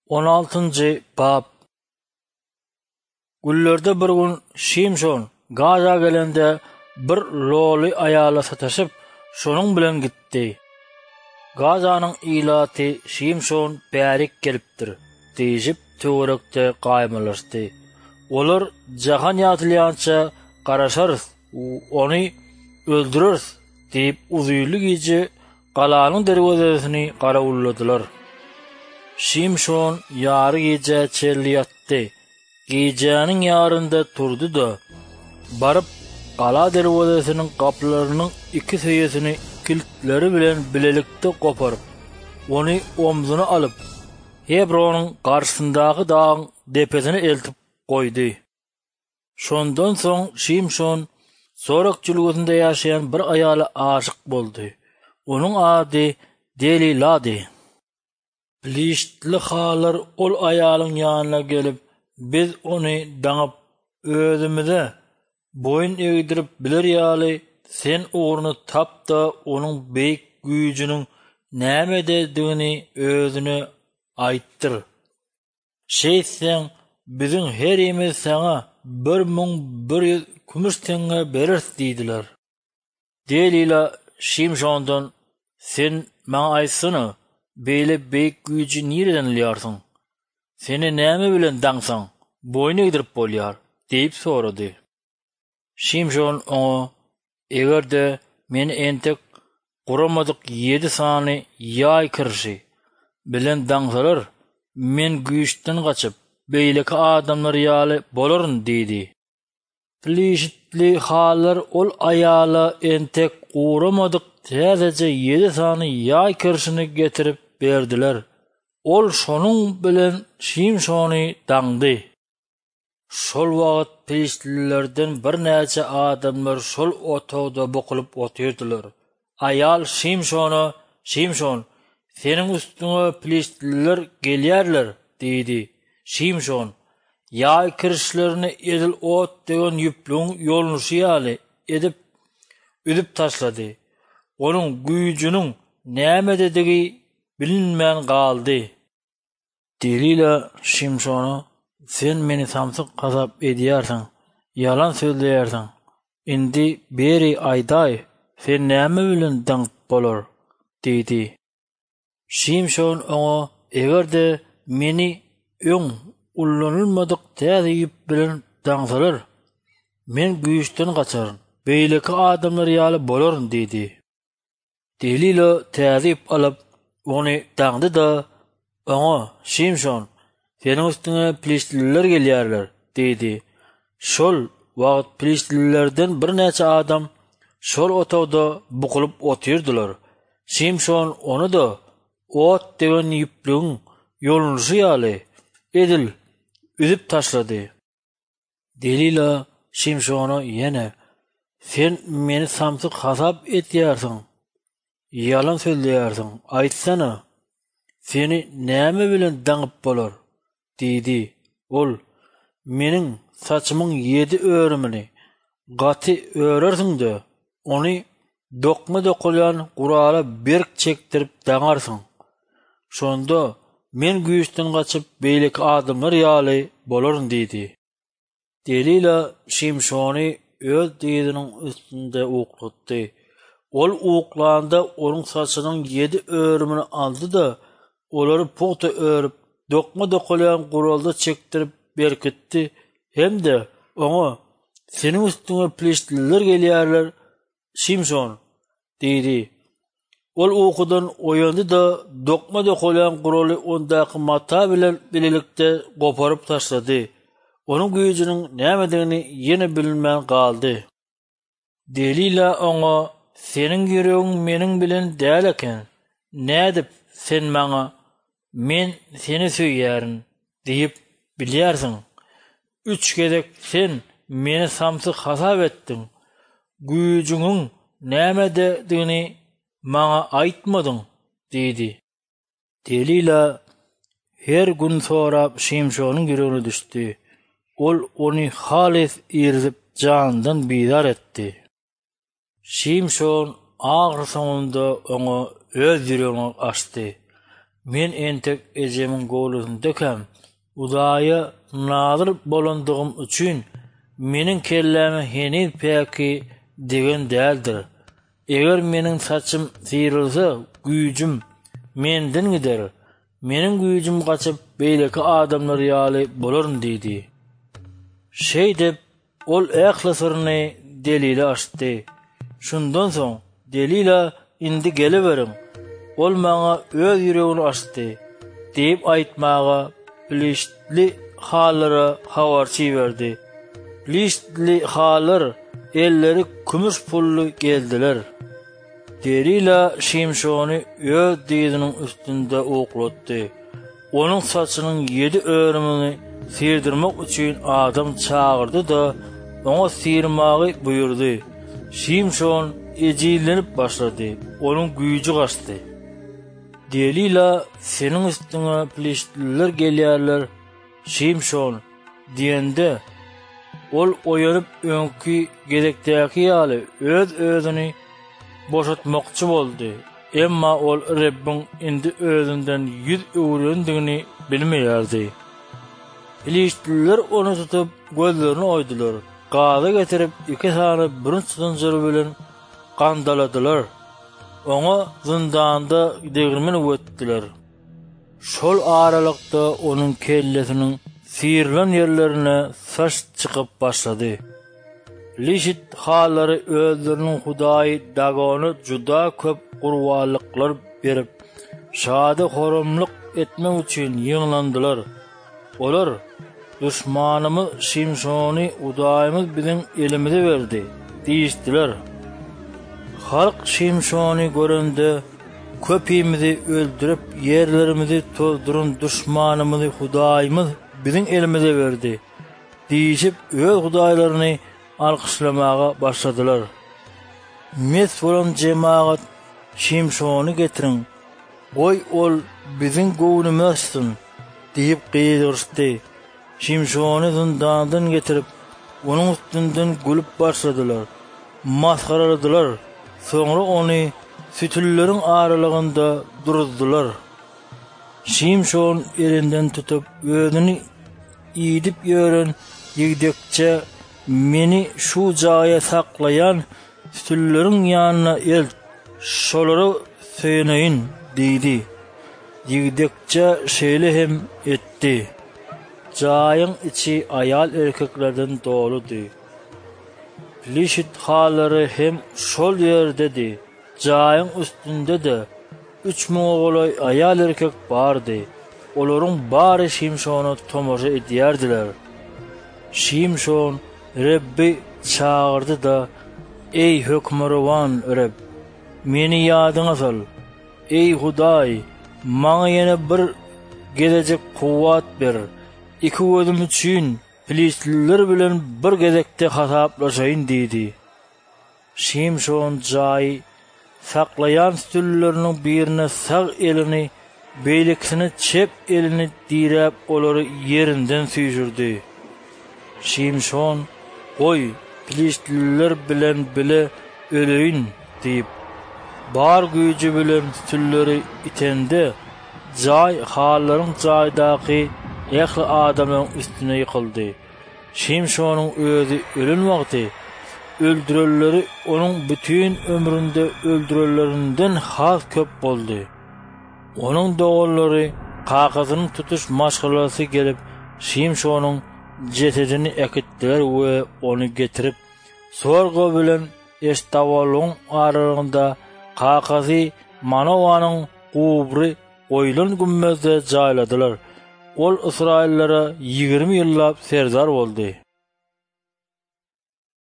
On altynjy bap. Günlerde bir gün Şimşon Gaza gelende bir loly aýala sataşyp, şonuň bilen gitdi. Gazanyň ilaty Şimşon bärik gelipdir diýşip töwerekde gaýmalaşdy. Olar jahan ýatylýança garaşarys, ony öldüreris diýip uzynly gije Galanyň derwezesini garawulladylar. Şimşon ýary gijä çenli ýatdy. Gijäniň ýarynda turdy-da, baryp, gala derwezesiniň gapylarynyň iki söýesini kiltleri bilen bilelikde goparyp, ony omzuna alyp, Hebronyň garşysyndaky dagyň depesine eltip goýdy. Şondan soň Şimşon Sorek jülgesinde ýaşaýan bir aýala aşyk boldy. Onuň ady Delilady. Piliştli halar ol aýalyň ýanyna gelip, Biz ony daňyp, özümize boýun egdirip biler ýaly, sen ugruny tap-da, onuň beýik güýjüniň nämededigini özüne aýtdyr. Şeýtseň, biziň herimiz saňa 1100 kümüş teňňe bereris diýdiler. Delila Şimşondan, Sen maňa aýtsana, beýle beýik güýji nireden alýarsyň? Seni näme bilen daňsaň, boýun egdirip bolýar? diýip sorady. Şimşon oňa, Eger-de meni entek guramadyk ýedi sany ýaý kirşi bilen daňsalar, men güýçden gaçyp, beýleki adamlar ýaly bolaryn diýdi. Piliştli halar ol aýala entek guramadyk täzeje ýedi sany ýaý kirşini getirip berdiler. Ol şonuň bilen Şimşony daňdy. Şol wagt piliştlilerden birnäçe adamlar şol otagda bukulyp otyrdylar. Aýal Şimşona, Şimşon, seniň üstüňe piliştliler gelýärler! diýdi. Şimşon ýaý kirişlerini edil ot degen ýüplügiň ýolnuşy ýaly edip, üzüp taşlady. Onuň güýjüniň nämededigi bilinmän galdy. Delila Şimşona, Sen meni samsyk hasap edýärsiň, ýalan sözleýärsiň. Indi beri aýdaý, seni näme bilen daňyp bolar? diýdi. Şimşon oňa, Eger-de meni öň ullanylmadyk täze ýüp bilen daňsalar, men güýçden gaçaryn, beýleki adamlar ýaly bolaryn diýdi. Delila täze ýüp alyp, ony daňdy-da, oňa, Şimşon, seniň üstüňe piliştliler gelýärler diýdi. Şol wagt piliştlilerden birnäçe adam şol otagda bukulyp otyrdylar. Şimşon ony-da ot degen ýüplügiň ýolunşy ýaly, edil üzüp taşlady. Delila Şimşona ýene, Sen meni samsyk hasap edýärsiň, ýalan sözleýärsiň, aýtsana, seni näme bilen daňyp bolar? diýdi. Ol, Meniň saçymyň ýedi örümini gaty örersiň-de, ony dokma dokalýan gurala berk çekdirip daňarsyň. Şonda men güýçden gaçyp, beýleki adamlar ýaly bolaryn diýdi. Delila Şimşony öz dyzynyň üstünde uklatdy. Ol uklanda onuň saçynyň ýedi örümini aldy-da, olary pugta örüp, dokma dokalýan guralda çekdirip berkitdi hem-de oňa, Seniň üstüňe piliştliler gelýärler, Şimşon! diýdi. Ol ukudan oýandy-da, dokma dokalýan guraly ondaky mata bilen bilelikde goparyp taşlady. Onuň güýjüniň nämedigini ýene bilinmän galdy. Delila oňa, Seniň ýüregiň meniň bilen däl eken. Nädip sen maňa, Men seni söýýärin diýip bilýärsiň? Üç gezek sen meni samsyk hasap etdiň, güýjüňiň nämededigini maňa aýtmadyň diýdi. Delila her gün sorap Şimşonyň ýüregine düşdi. Ol ony halys irizip, janyndan bizar etdi. Şimşon ahyrsoňunda oňa öz ýüregini açdy. Men entek ejemiň göwresindekäm, Hudaýa nazyr bolandygym üçin, meniň kelläme heniz päki degen däldir. Eger meniň saçym syrylsa, güýjüm menden gider. Meniň güýjüm gaçyp, beýleki adamlar ýaly bolaryn diýdi. Şeýdip, ol ähli syryny Delile açdy. Şundan soň Delila, Indi geleweriň, ol maňa öz ýüregini açdy diýip aýtmaga piliştli hallara habarçy iberdi. Piliştli hallar elleri kümüş pully geldiler. Delila Şimşony öz dyzynyň üstünde uklatdy. Onuň saçynyň ýedi örümini syrdyrmak üçin adam çagyrdy-da, oňa syrmagy buýurdy. Şimşon ejizlenip başlady, onuň güýji gaçdy. Delila, Seniň üstüňe piliştliler gelýärler, Şimşon! diýende, ol oýanyp öňki gezekdäki ýaly öz-özüni boşatmakçy boldy. Emma ol Rebbiň indi özünden ýüz öwrendigini bilmeýärdi. Piliştliler ony tutup, gözlerini oýdular, Gaza getirip, iki sany bürünç zynjyry bilen gandaladylar. Oňa zyndanda degirmen üwetdiler. Şol aralykda onuň kellesiniň syrylan ýerlerine saç çykyp başlady. Lişit hallary özleriniň hudaýy Dagona juda köp gurbanlyklar berip, şady-horamlyk etmek üçin ýygnandylar. Olar, Duşmanymyz Şimşony hudaýymyz biziň elimize berdi diýişdiler. Halk Şimşony görende, Köpimizi öldürip, ýerlerimizi tozduran duşmanymyzy hudaýymyz biziň elimize berdi diýşip, öz hudaýlaryny alkyşlamaga başladylar. Mes bolan jemagat, Şimşony getiriň, goý, ol biziň göwnümizi açsyn diýip gygyryşdy. Şimşony zyndandan getirip, onuň üstünden gülüp başladylar, masgaraladylar, soňra ony sütünleriň aralygynda duruzdylar. Şimşon elinden tutup, özüni idip ýören ýigdekçä, Meni şu jaýa saklaýan sütünleriň ýanyna elt, şolara söýeneýin diýdi. Ýigdekçe şeýle hem etdi. Jaýyň içi aýal-erkeklerden doludy. Pilişit halary hem şol ýerdedi. Jaýyň üstünde-de üç müňe golaý aýal-erkek bardy. Olaryň bary Şimşona tomaşa edýärdiler. Şimşon Rebbi çagyrdy-da, Eý, Hökmürowan Reb, meni ýadyňa sal! Eý, Hudaý, maňa ýene bir gezejik kuwwat ber, iki gözüm üçin piliştliler bilen bir gezekde hasaplaşaýyn diýdi. Şimşon jaýy saklaýan sütünleriniň birine sag elini, beýlekisine çep elini diräp olary ýerinden süýşürdi. Şimşon, Goý, piliştliler bilen bile öleýin diýip, bar güýji bilen sütünleri itende, jaý hallaryň jaýdaky ähli adamlaryň üstüne ýykyldy. Şimşonyň özi ölen wagty, öldürenleri onuň bütin ömründe öldürenlerinden has köp boldy. Onuň doganlary, kakasynyň tutuş maşgalasy gelip, Şimşonyň jesedini äkitdiler we ony getirip, Sorga bilen Eştawolyň aralygynda kakasy Manowanyň gubry goýlan gümmezde jaýladylar. Ol ysraýyllara 20 ýyllap serdar boldy.